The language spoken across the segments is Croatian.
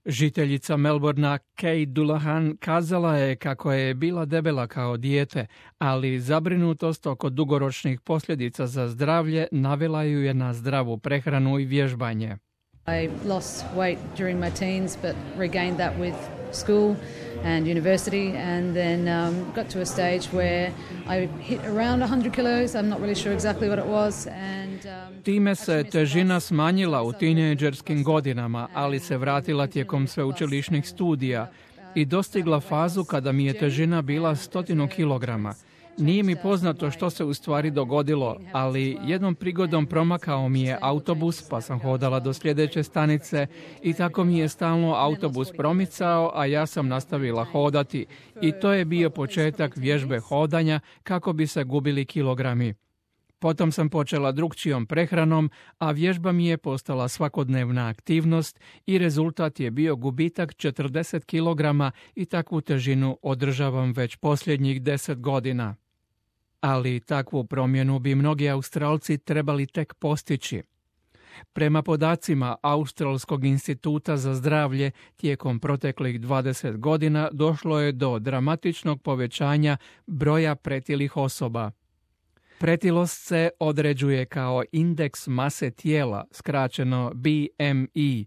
Žiteljica Melbourna Kate Dullahan kazala je kako je bila debela kao dijete, ali zabrinutost oko dugoročnih posljedica za zdravlje navela ju je na zdravu prehranu i vježbanje. I lost weight during my teens, but regained that with school and university, and then got to a stage where I hit around 100 kilos. I'm not really sure exactly what it was. Time se težina smanjila u tinejdžerskim godinama, ali se vratila tijekom sveučilišnih studija i dostigla fazu kada mi je težina bila 100 kilograma. Nije mi poznato što se u stvari dogodilo, ali jednom prigodom promakao mi je autobus, pa sam hodala do sljedeće stanice i tako mi je stalno autobus promicao, a ja sam nastavila hodati. I to je bio početak vježbe hodanja kako bi se gubili kilogrami. Potom sam počela drukčijom prehranom, a vježba mi je postala svakodnevna aktivnost i rezultat je bio gubitak 40 kilograma i takvu težinu održavam već posljednjih 10 godina. Ali takvu promjenu bi mnogi Australci trebali tek postići. Prema podacima Australskog instituta za zdravlje, tijekom proteklih 20 godina došlo je do dramatičnog povećanja broja pretilih osoba. Pretilost se određuje kao indeks mase tijela, skraćeno BMI,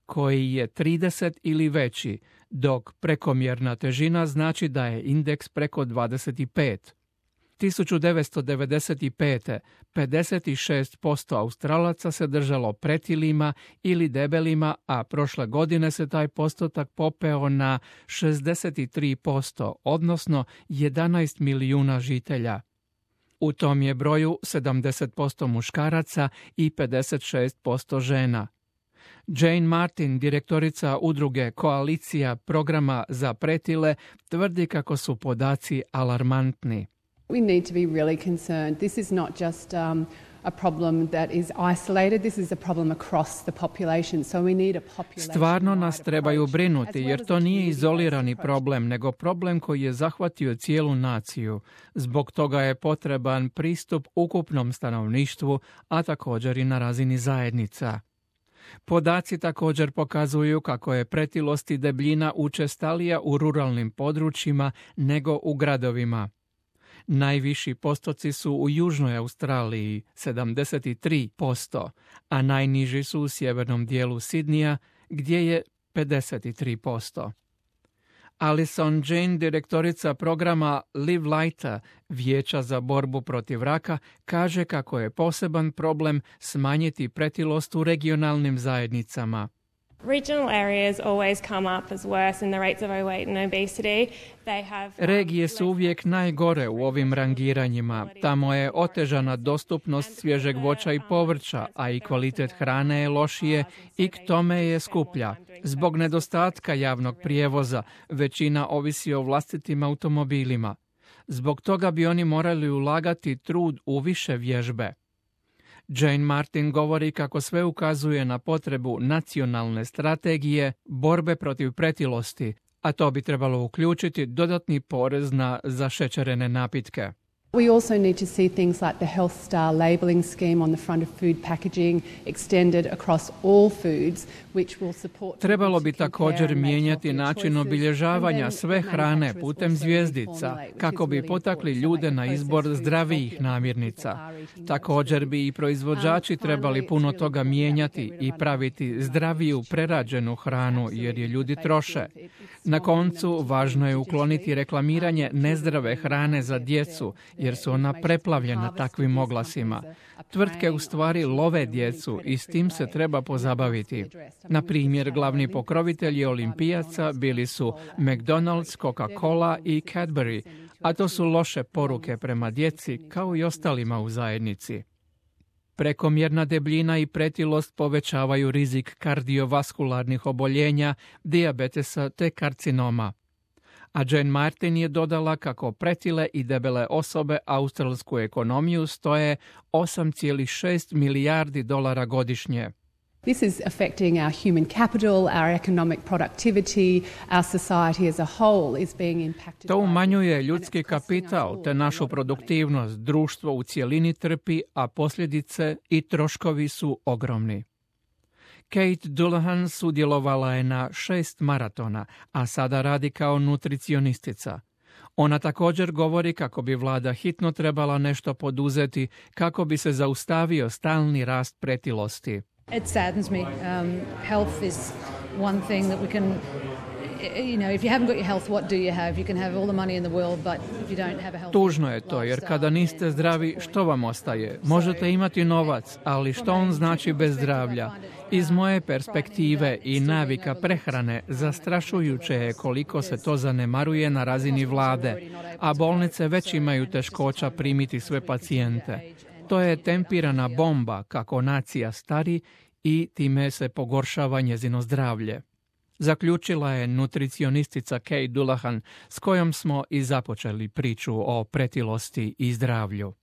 koji je 30 ili veći, dok prekomjerna težina znači da je indeks preko 25. 1995. 56% Australaca se držalo pretilima ili debelima, a prošle godine se taj postotak popeo na 63%, odnosno 11 milijuna žitelja. U tom je broju 70% muškaraca i 56% žena. Jane Martin, direktorica udruge Koalicija programa za pretile, tvrdi kako su podaci alarmantni. We need to be really concerned. This is not just a problem that is isolated. This is a problem across the population. So we need a population. Stvarno nas trebaju brinuti, jer to nije izolirani problem, nego problem koji je zahvatio cijelu naciju. Zbog toga je potreban pristup ukupnom stanovništvu, a također i na razini zajednica. Podaci također pokazuju kako je pretilost i debljina učestalija u ruralnim područjima nego u gradovima. Najviši postoci su u Južnoj Australiji, 73%, a najniži su u sjevernom dijelu Sidnija, gdje je 53%. Alison Jane, direktorica programa Live Lighter, Vijeća za borbu protiv raka, kaže kako je poseban problem smanjiti pretilost u regionalnim zajednicama. Regional areas always come up as worse in the rates of overweight and obesity. Regije su uvijek najgore u ovim rangiranjima. Tamo je otežana dostupnost svježeg voća i povrća, a i kvalitet hrane je lošije i k tome je skuplja. Zbog nedostatka javnog prijevoza, većina ovisi o vlastitim automobilima. Zbog toga bi oni morali ulagati trud u više vježbe. Jane Martin govori kako sve ukazuje na potrebu nacionalne strategije borbe protiv pretilosti, a to bi trebalo uključiti dodatni porez na zašećerene napitke. We also need to see things like the Health Star labelling scheme on the front of food packaging extended across all foods, which will support. Trebalo bi također mijenjati način obilježavanja sve hrane putem zvjezdica, kako bi potakli ljude na izbor zdravijih namirnica. Također bi i proizvođači trebali puno toga mijenjati i praviti zdraviju prerađenu hranu, jer je ljudi troše. Na koncu, važno je ukloniti reklamiranje nezdrave hrane za djecu, jer su ona preplavljena takvim oglasima. Tvrtke u stvari love djecu i s tim se treba pozabaviti. Na primjer, glavni pokrovitelji olimpijaca bili su McDonald's, Coca-Cola i Cadbury, a to su loše poruke prema djeci kao i ostalima u zajednici. Prekomjerna debljina i pretilost povećavaju rizik kardiovaskularnih oboljenja, dijabetesa te karcinoma. A Jane Martin je dodala kako pretile i debele osobe australsku ekonomiju stoje 8,6 milijardi dolara godišnje. This is affecting our human capital, our economic productivity, our society as a whole is being impacted. To umanjuje ljudski kapital te našu produktivnost, društvo u cjelini trpi, a posljedice i troškovi su ogromni. Kate Dullahan sudjelovala je na 6 maratona, a sada radi kao nutricionistica. Ona također govori kako bi vlada hitno trebala nešto poduzeti kako bi se zaustavio stalni rast pretilosti. It saddens me. Health is one thing that we can, if you haven't got your health, what do you have? You can have all the money in the world, but if you don't have a healthy Tužno je to, jer kada niste zdravi, što vam ostaje? Možete imati novac, ali što on znači bez zdravlja? Iz moje perspektive i navika prehrane zastrašujuće je koliko se to zanemaruje na razini vlade, a bolnice već imaju teškoća primiti sve pacijente. To je tempirana bomba kako nacija stari i time se pogoršava njezino zdravlje. Zaključila je nutricionistica Kate Dullahan, s kojom smo i započeli priču o pretilosti i zdravlju.